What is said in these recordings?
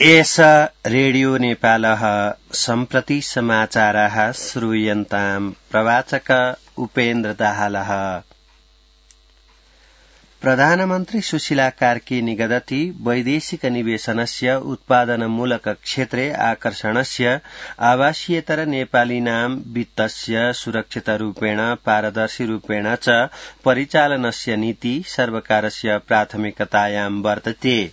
एष रेडियो नेपालः सम्प्रति समाचाराः श्रूयन्ताम् प्रवाचक उपेन्द्र दाहालः। प्रधानमन्त्री सुशीला कार्की निगदति वैदेशिक निवेशनस्य उत्पादनमूलक क्षेत्रे आकर्षणस्य आवासीयतर नेपालीनां वित्तस्य सुरक्षितरूपेण पारदर्शिरूपेण च परिचालनस्य नीति सर्वकारस्य प्राथमिकतायां वर्तते।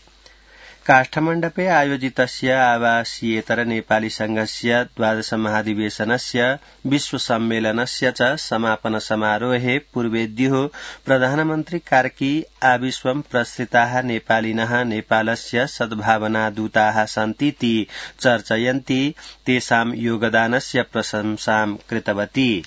काष्ठमण्डपे आयोजितस्य आवासीयेतर नेपाली संघस्य 12 महाधिवेशनस्य विश्व सम्मेलनस्य च समापन समारोहे पूर्वेद्युः प्रधानमन्त्री कार्की आविश्वं प्रसृताः नेपालिनः नेपालस्य सद्भावनादूताः सन्तीति चर्चयन्ती तेषां योगदानस्य प्रशंसां कृतवती।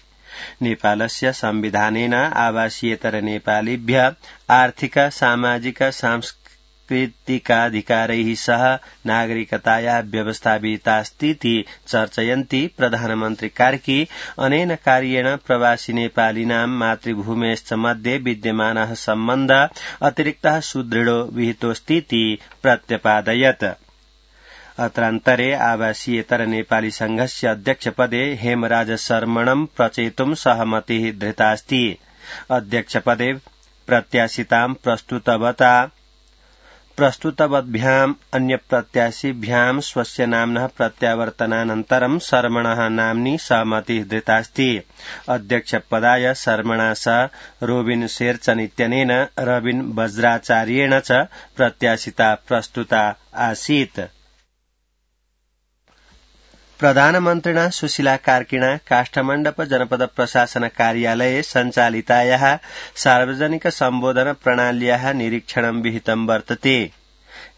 नेपालस्य संविधानेन आवासीयेतर नेपालीभ्यः आर्थिक सामाजिक सांस्कृतिकाधिकारैः सह नागरिकतायाः व्यवस्था विहितास्तीति चर्चयन्ती प्रधानमन्त्री कार्की अनेन कार्येण प्रवासी नेपालिनां मातृभूमेश्च मध्ये विद्यमानः सम्बन्धः अतिरिक्तः सुदृढो विहितोऽस्तीति प्रत्यपादयत्। अत्रान्तरे आवासीयेतर नेपाली संघस्य अध्यक्षपदे हेमराज शर्मणं प्रचेतुं सहमतिः धृतास्ति। अध्यक्षपदे प्रत्याशितां प्रस्तुतवद्भ्याम् अन्यप्रत्याशिभ्याम् स्वस्य नाम्नः प्रत्यावर्तनानन्तरं शर्मणः नाम्नि सहमतिः धृतास्ति। अध्यक्षपदाय शर्मणा सह रोबिन शेरचन इत्यनेन रबिन वज्राचार्येण च प्रत्याशिता प्रस्तुता आसीत्। प्रधानमन्त्रिणा सुशीला कार्किणा काष्ठमण्डप जनपद प्रशासन कार्यालये सञ्चालितायाः सार्वजनिक सम्बोधन प्रणाल्याः निरीक्षणं विहितं वर्तते।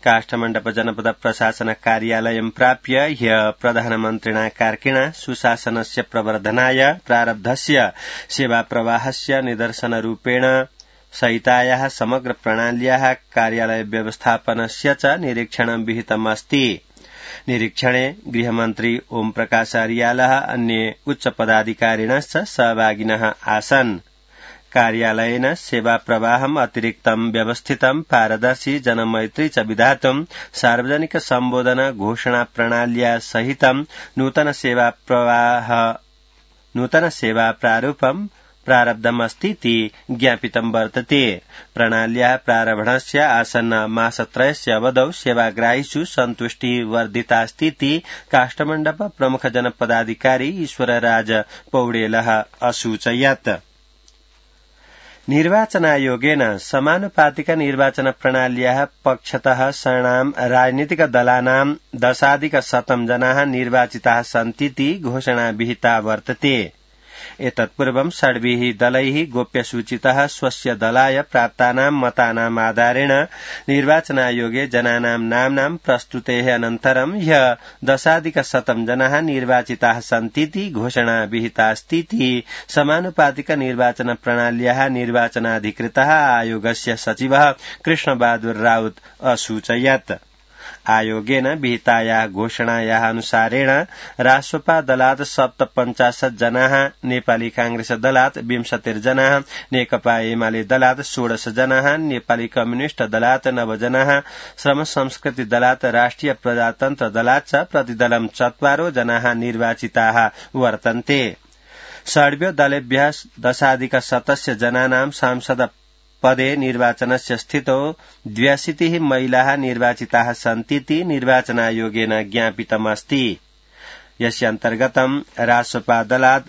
काष्ठमण्डप जनपद प्रशासन कार्यालयं प्राप्य ह्यः प्रधानमन्त्रिणा कार्किणा सुशासनस्य प्रवर्धनाय प्रारब्धस्य सेवाप्रवाहस्य निदर्शनरूपेण सहितायाः समग्र प्रणाल्याः कार्यालय व्यवस्थापनस्य च निरीक्षणं विहितमस्ति। निरीक्षणे गृहमन्त्री ओम प्रकाश अर्यालः अन्ये उच्चपदाधिकारिणश्च सहभागिनः आसन्। कार्यालयेन सेवाप्रवाहम् अतिरिक्तं व्यवस्थितं पारदर्शी जनमैत्री च विधातुं सार्वजनिक सम्बोधन घोषणा प्रणाल्या सहितं नूतन सेवा प्रारूपं प्रारब्धमस्तीति ज्ञापितं वर्तते। प्रणाल्याः प्रारम्भस्य आसन्न मासत्रयस्य अवधौ सेवाग्राहिषु सन्तुष्टिः वर्धितास्तीति काष्ठमण्डप प्रमुख जनपदाधिकारी ईश्वरराज पौडेलः असूचयत्। निर्वाचनायोगेन समानुपातिक निर्वाचन प्रणाल्याः पक्षतः षणां राजनीतिक दलानां 10,100 जनाः निर्वाचिताः सन्तीति घोषणा विहिता वर्तते। एतत्पूर्वं षड्भिः दलैः गोप्यसूचितः स्वस्य दलाय प्राप्तानां मतानाम् आधारेण निर्वाचनायोगे जनानां नाम्नां प्रस्तुतेः अनन्तरं ह्यः 10,100 जनाः निर्वाचिताः सन्तीति घोषणा विहितास्तीति समानुपातिक निर्वाचन प्रणाल्याः निर्वाचनाधिकृतः आयोगस्य सचिवः कृष्णबहादुर राउत असूचयत्। आयोगेन विहितायाः घोषणायाः अनुसारेण राष्ट्रपा दलात् 57 जनाः, नेपाली कांग्रेस दलात् 20 जनाः, नेकपा एमाले दलात् 16 जनाः, नेपाली कम्युनिष्ट दलात् 9 जनाः, श्रम संस्कृति दलात् राष्ट्रिय प्रजातन्त्र दलात् च प्रतिदलं 4 जनाः निर्वाचिताः वर्तन्ते। षड्भ्यो दलेभ्यः 10,100 जनानां सांसद पदे निर्वाचनस्य स्थितौ 82 महिलाः निर्वाचिताः सन्तीति निर्वाचनायोगेन ज्ञापितमस्ति। यस्य अन्तर्गतं राष्ट्रपा दलात्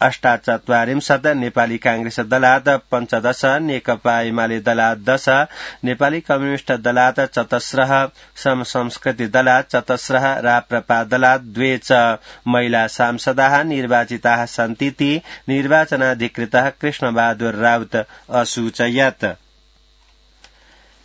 48, नेपाली कांग्रेस दलात् 15, नेकपा एमाले दलात् 10, नेपाली कम्युनिष्ट दलात् 14, श्रम संस्कृति दलात् 14, राप्रपा दलात् 2 च महिला सांसदाः निर्वाचिताः सन्तीति निर्वाचनाधिकृतः कृष्णबहादुर राउत असूचयत्।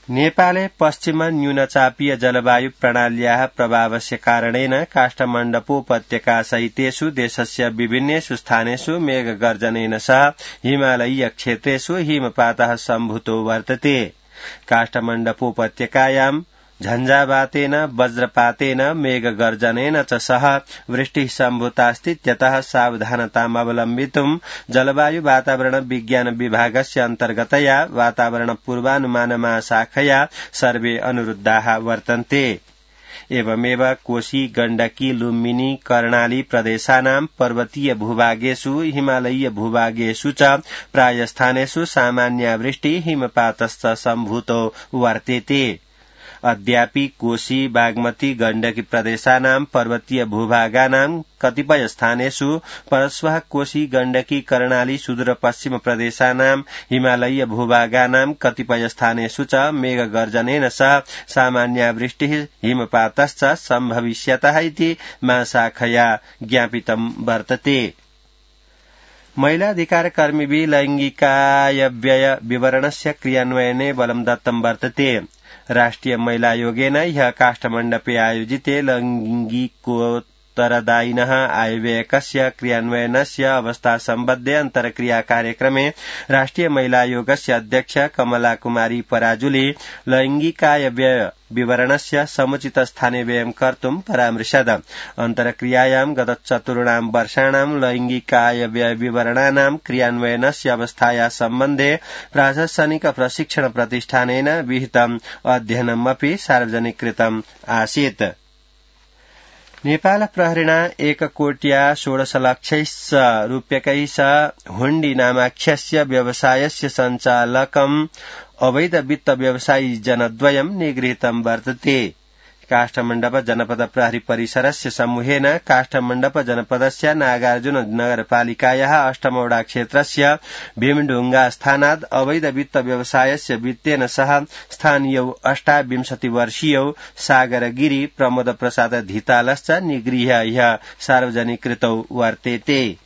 नेपाले पश्चिम न्यूनचापीय जलवायु प्रणाल्याः प्रभावस्य कारणेन काष्ठमण्डपोपत्यका सहितेषु देशस्य विभिन्नेषु स्थानेषु मेघगर्जनेन सह हिमालयीय क्षेत्रेषु हिमपातः सम्भूतो वर्तते। काष्ठमण्डपोपत्यकायां झञ्झावातेन वज्रपातेन मेघगर्जनेन च सह वृष्टिः सम्भूतास्तीत्यतः सावधानताम् अवलम्बितुं जलवायु वातावरण विज्ञान विभागस्य अन्तर्गतया वातावरण पूर्वानुमान महाशाखया सर्वे अनुरुद्धाः वर्तन्ते। एवमेव कोशी गण्डकी लुम्बिनी कर्णाली प्रदेशानां पर्वतीय भूभागेषु हिमालयीय भूभागेषु च प्रायस्थानेषु सामान्यावृष्टि हिमपातश्च सम्भूतो वर्तेते। अद्यापि कोशी बागमती गण्डकी प्रदेशानां पर्वतीय भूभागानां कतिपय स्थानेषु परश्वः कोशी गण्डकी कर्णाली सुदूरपश्चिम प्रदेशानां हिमालयीय भूभागानां कतिपय स्थानेषु च मेघगर्जनेन सह सामान्यावृष्टिः हिमपातश्च सम्भविष्यतः इति महाशाखया ज्ञापितं वर्तते। महिलाधिकारकर्मिभिः लैङ्गिकायव्यय विवरणस्य क्रियान्वयने बलं दत्तं वर्तते। राष्ट्रिय महिला आयोगेन ह्यः काष्ठमण्डपे आयोजिते लैङ्गिकोत्तरदायिनः आयव्ययकस्य क्रियान्वयनस्य अवस्था सम्बद्धे अन्तर्क्रिया कार्यक्रमे राष्ट्रिय महिला आयोगस्य अध्यक्ष कमला कुमारी पराजुले लैङ्गिकायव्यय विवरणस्य समुचित स्थाने व्ययं कर्तुं परामृशत्। अन्तर्क्रियायां गत 4 वर्षाणां लैङ्गिकायव्यय विवरणानां क्रियान्वयनस्य अवस्थाया सम्बन्धे प्राशासनिक प्रशिक्षण प्रतिष्ठानेन विहितम् अध्ययनमपि सार्वजनिकीकृतम् आसीत्। नेपाल प्रहरिणा 1,16,00,000 रूप्यकैः सह हुण्डी नामाख्यस्य व्यवसायस्य सञ्चालकम् अवैध वित्त व्यवसायी जनद्वयं निगृहीतं वर्तते। काष्ठमण्डप जनपद प्रहरी परिसरस्य समूहेन काष्ठमण्डप जनपदस्य नागार्जुन नगरपालिकायाः अष्टमौडा क्षेत्रस्य भीमढुङ्गा स्थानात् अवैध वित्त व्यवसायस्य वित्तेन सह स्थानीयौ 28 वर्षीयौ सागरगिरी प्रमोद प्रसाद धितालश्च निगृह्य ह्यः सार्वजनिकीकृतौ वर्तेते।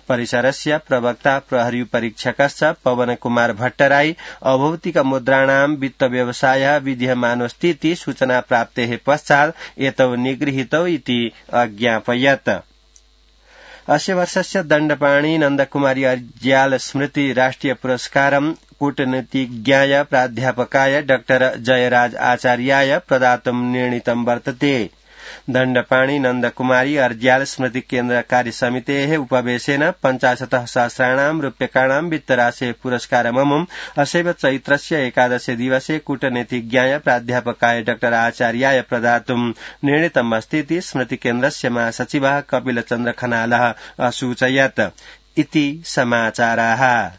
परिसरस्य प्रवक्ता प्रहरी परीक्षकश्च पवन कुमार भट्टराई अभौतिक मुद्राणां वित्त व्यवसायः विद्यमानोऽस्तीति सूचना प्राप्तेः पश्चात् एतौ निगृहीतौ इति अज्ञापयत्। अस्य वर्षस्य दण्डपाणि नन्दकुमारी अर्ज्याल स्मृति राष्ट्रिय पुरस्कारं कूटनीतिज्ञाय प्राध्यापकाय डॉक्टर जयराज आचार्याय प्रदातुं निर्णीतं वर्तते। दण्डपाणि नन्दकुमारी अर्ज्याल स्मृति केन्द्र कार्यसमितेः उपवेशेन 50,000 रूप्यकाणां वित्तराशे पुरस्कारममुम् असैव चैत्रस्य 11 दिवसे कूटनीतिज्ञाय प्राध्यापकाय डॉक्टर आचार्याय प्रदातुं निर्णीतमस्तीति स्मृति केन्द्रस्य महासचिवः कपिलचन्द्र खनालः असूचयत् इति समाचाराः।